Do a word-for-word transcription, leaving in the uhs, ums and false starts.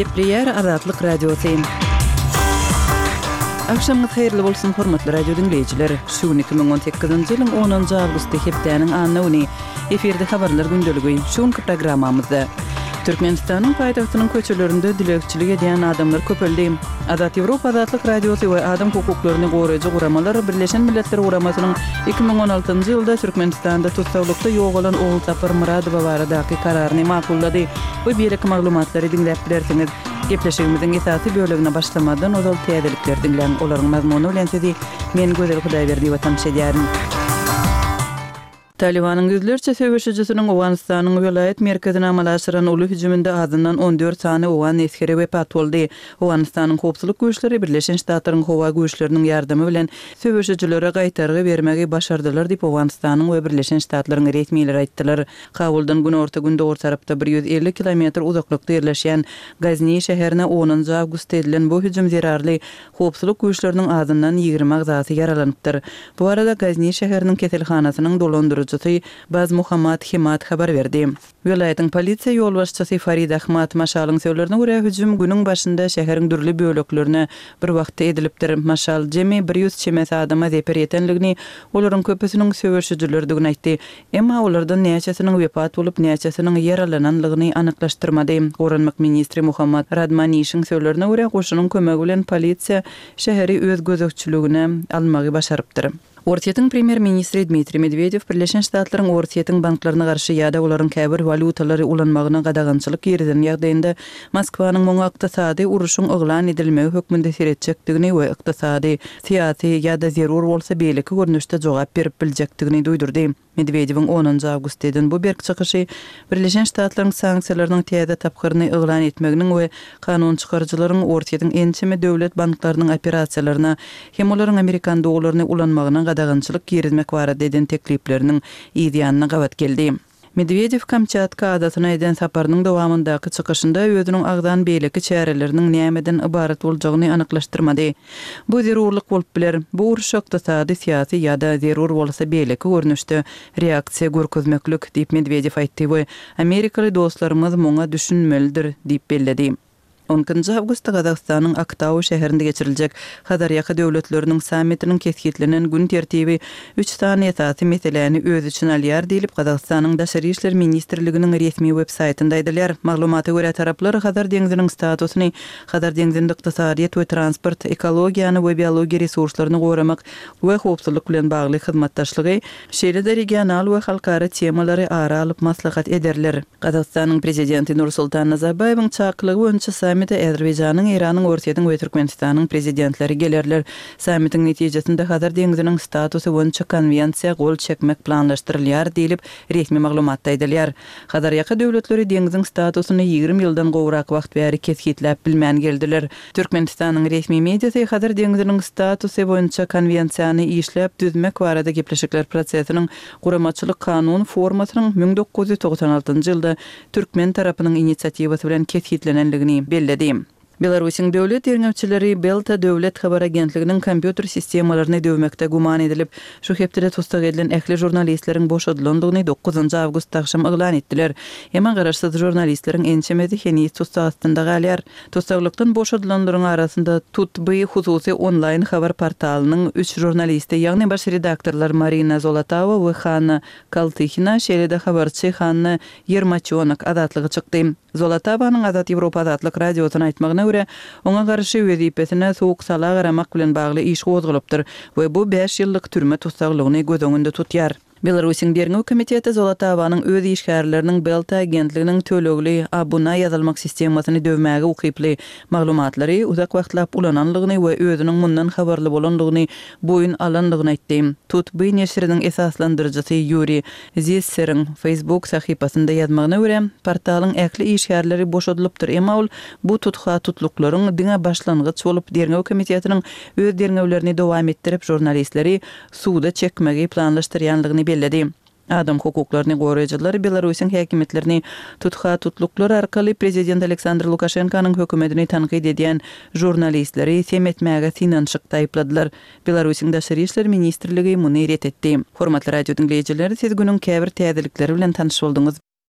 Gepleýär Azatlyk Radiosy. Agşamyňyz haýyrly bolsun, hormatly radio diňleýjiler. Şu gün iki müň on sekizinji ýylyň onunjy awgusty hepdäniň anna güni. Efirde habarlar gündeligi. Şu günki programmamyzda Türkmenistanyň paýtagtynyň köçelerinde dilegçilik edýän adamlar köpeldi. Azat Ýewropa Azatlyk Radiosy we adam hukuklaryny goraýjy guramalar Birleşen Milletler Guramasynyň iki müň on altynjy ýylda Türkmenistanda tussaglykda ýogalan Ogulsapar Myradowa baradaky kararyny makullady. Bu beýleki maglumatlary diňläp bilersiňiz. Gepleşigimiziň esasy bölegine başlamazdan ozal täzelikleri diňläň. Olaryň mazmuny bilen sizi men Gözel Hudaýberdiýewa tanyş edýärin. Talibanyň ýüzlerçe söweşijisiniň Owganystanyň welaýat merkezine amala aşyran uly hüjüminde azyndan on dört sany owgan esgeri wepat boldy. Owganystanyň howpsuzlyk güýçleri Birleşen Ştatlaryň howa güýçleriniň ýardamy bilen söweşijilere gaýtargy bermegi başardylar diýip, Owganystanyň we Birleşen Ştatlaryň resmileri aýtdylar. Kabuldan günorta-gündogar tarapda bir ýüz elli kilometr uzaklykda ýerleşýän Gazni şäherine onunjy awgustda edilen bu hüjüm zerarly howpsuzlyk güýçleriniň azyndan ýigrimi agzasy ýaralanypdyr. Bu barada Gazni şäheriniň keselhanasynyň dolandyryjysy Baz Muhammad Hemat habar berdi. Welaýatyň polisiýa ýolbaşçysy Farid Ahmad Maşalyň sözlerine görä, hüjüm günüň başynda şäheriň dürli böleklerine bir wagtda edilipdir. Maşal jemi bir ýüz çemesi adama zeper ýetenligini, olaryň köpüsiniň söweşijilerdigini aýtdy. Emma olardan näçesiniň wepat bolup, näçesiniň ýaralananlygyny anyklaşdyrmady. Goranmak ministri Muhammad Radmanişiň sözlerine görä, goşunyň kömegi bilen polisiýa şäheri öz gözegçiligine almagy başarypdyr. Orsýetiň premýer-ministri Dmitriý Medwedew Birleşen Ştatlaryň Orsýetiň banklaryna garşy ýa-da olaryň käbir walýutalary ulanmagyna gadagançylyk girizen ýagdaýynda Moskwanyň muňa ykdysady uruşyň yglan edilmegi hökmünde seretjekdigini we ykdysady, syýasy ýa-da zerur bolsa beýleki görnüşde jogap berip biljekdigini duýdurdy. Medwedewiň onunjy awgustda eden bu berk çykyşy Birleşen Ştatlaryň sanksiýalarynyň täze tapgyryny yglan etmeginiň we kanun çykaryjylaryň Orsýetiň ençeme döwlet banklarynyň operasiýalaryna hem olaryň amerikan dollaryny ulanmagyna gadagançylyk girizmek barada eden teklipleriniň yz ýanyna gabat geldi. Medwedew Kamçatka adasyna eden saparynyň dowamyndaky çykyşynda özüniň agzan beýleki çäreleriniň nämeden ybarat boljagyny anyklaşdyrmady. Bu zerurlyk bolup biler. Bu uruş ykdysady, syýasy ýa-da zerur bolsa beýleki görnüşde reaksiýa görkezmeklik, diýip Medwedew aýtdy we amerikaly dostlarymyz muňa düşünmelidir, diýip belledi. On ikinji awgustda Gazagystanyň Aktau şäherinde geçiriljek Hazarýaka döwletleriniň sammitiniň kesgitlenen gün tertibi üç sany esasy meseläni öz içine alýar diýlip, Gazagystanyň Daşary işler ministrliginiň resmi web-saýtynda aýdylýar. Maglumata görä, taraplar Hazar deňziniň statusyny, Hazar deňzinde ykdysadyýet we transport, ekologiýany we biologiýa resurslaryny goramak we howpsuzlyk bilen bagly hyzmatdaşlygy, şeýle-de regional we halkara temalary ara alyp maslahat ederler. Gazagystanyň prezidenti Nursultan Nazarbaýewiň çakylygy boýunça sammite Azerbaýjanyň, Eýranyň, Orsýetiň we Türkmenistanyň prezidentleri gelerler. Sammitiň netijesinde Hazar deňziniň statusy boýunça konwensiýa gol çekmek planlaşdyrylýar diýlip, resmi maglumatda aýdylýar. Hazarýaka döwletleri deňziň statusyny ýigrimi ýyldan gowrak wagt bäri kesgitläp bilmän geldiler. Türkmenistanyň resmi mediasy Hazar deňziniň statusy boýunça konwensiýany işläp düzmek barada gepleşikler prosesiniň guramaçylyk kanun formasynyň müň dokuz ýüz togsan altynjy ýylda türkmen tarapynyň inisiatiwasy bilen kesgitlenenligini belledi. Belarusyň döwlet derňewçileri Belta döwlet habar agentliginiň kompýuter sistemalaryny döwmekde güman edilip, şu hepdede tussag edilen ähli žurnalistleriň boşadylandygyny dokuzynjy awgustda agşam yglan etdiler. Emma garaşsyz žurnalistleriň ençemesi heniz tussag astynda galýar. Tussaglykdan boşadylanlaryň arasynda Tutby hususy onlaýn habar portalynyň üç žurnalisti, ýagny baş redaktorlar Marina Zolotawa we Hanna Kaltyhina, şeýle-de habarçy Hanna Ýermaçonok azatlyga çykdy. Zolotawanyň Azat Ýewropa Azatlyk Radiosyna aýtmagyna görä, oňa garşy wezipesine sowuk sala garamak bilen bagly iş gozgalypdyr we bu bäş ýyllyk türme tussaglygyny göz öňünde tutýar. Belarusyň derňew komiteti Zolotawanyň öz işgärleriniň Belta agentliginiň tölegli abuna ýazylmak sistemasyny döwmäge ukyply maglumatlary uzak wagtlap ulananlygyny we özüniň mundan habarly bolanlygyny boýun alanlygyny aýtdy. Tutby neşiriniň esaslandyryjysy Ýuriý Zisseriň Facebook sahypasynda ýazmagyna görä, portalyň ähli işgärleri boşadylypdyr, emma ol bu tutha-tutluklaryň diňe başlangyç bolup, derňew komitetiniň öz derňewlerini dowam etdirip, žurnalistleri suda çekmegi planlaşdyrýanlygyny belledi. Adam hukuklaryny goraýjylar Belarusyň häkimiýetlerini tutha-tutluklar arkaly prezident Aleksandr Lukaşenkanyň hökümetini tankyt edýän žurnalistleri sem etmäge synanyşykda aýypladylar. Belarusyň Daşary işler ministrligi muny ret etdi. Hormatly radio diňleýjiler, siz günüň käbir täzelikleri bilen tanyş bolduňyz.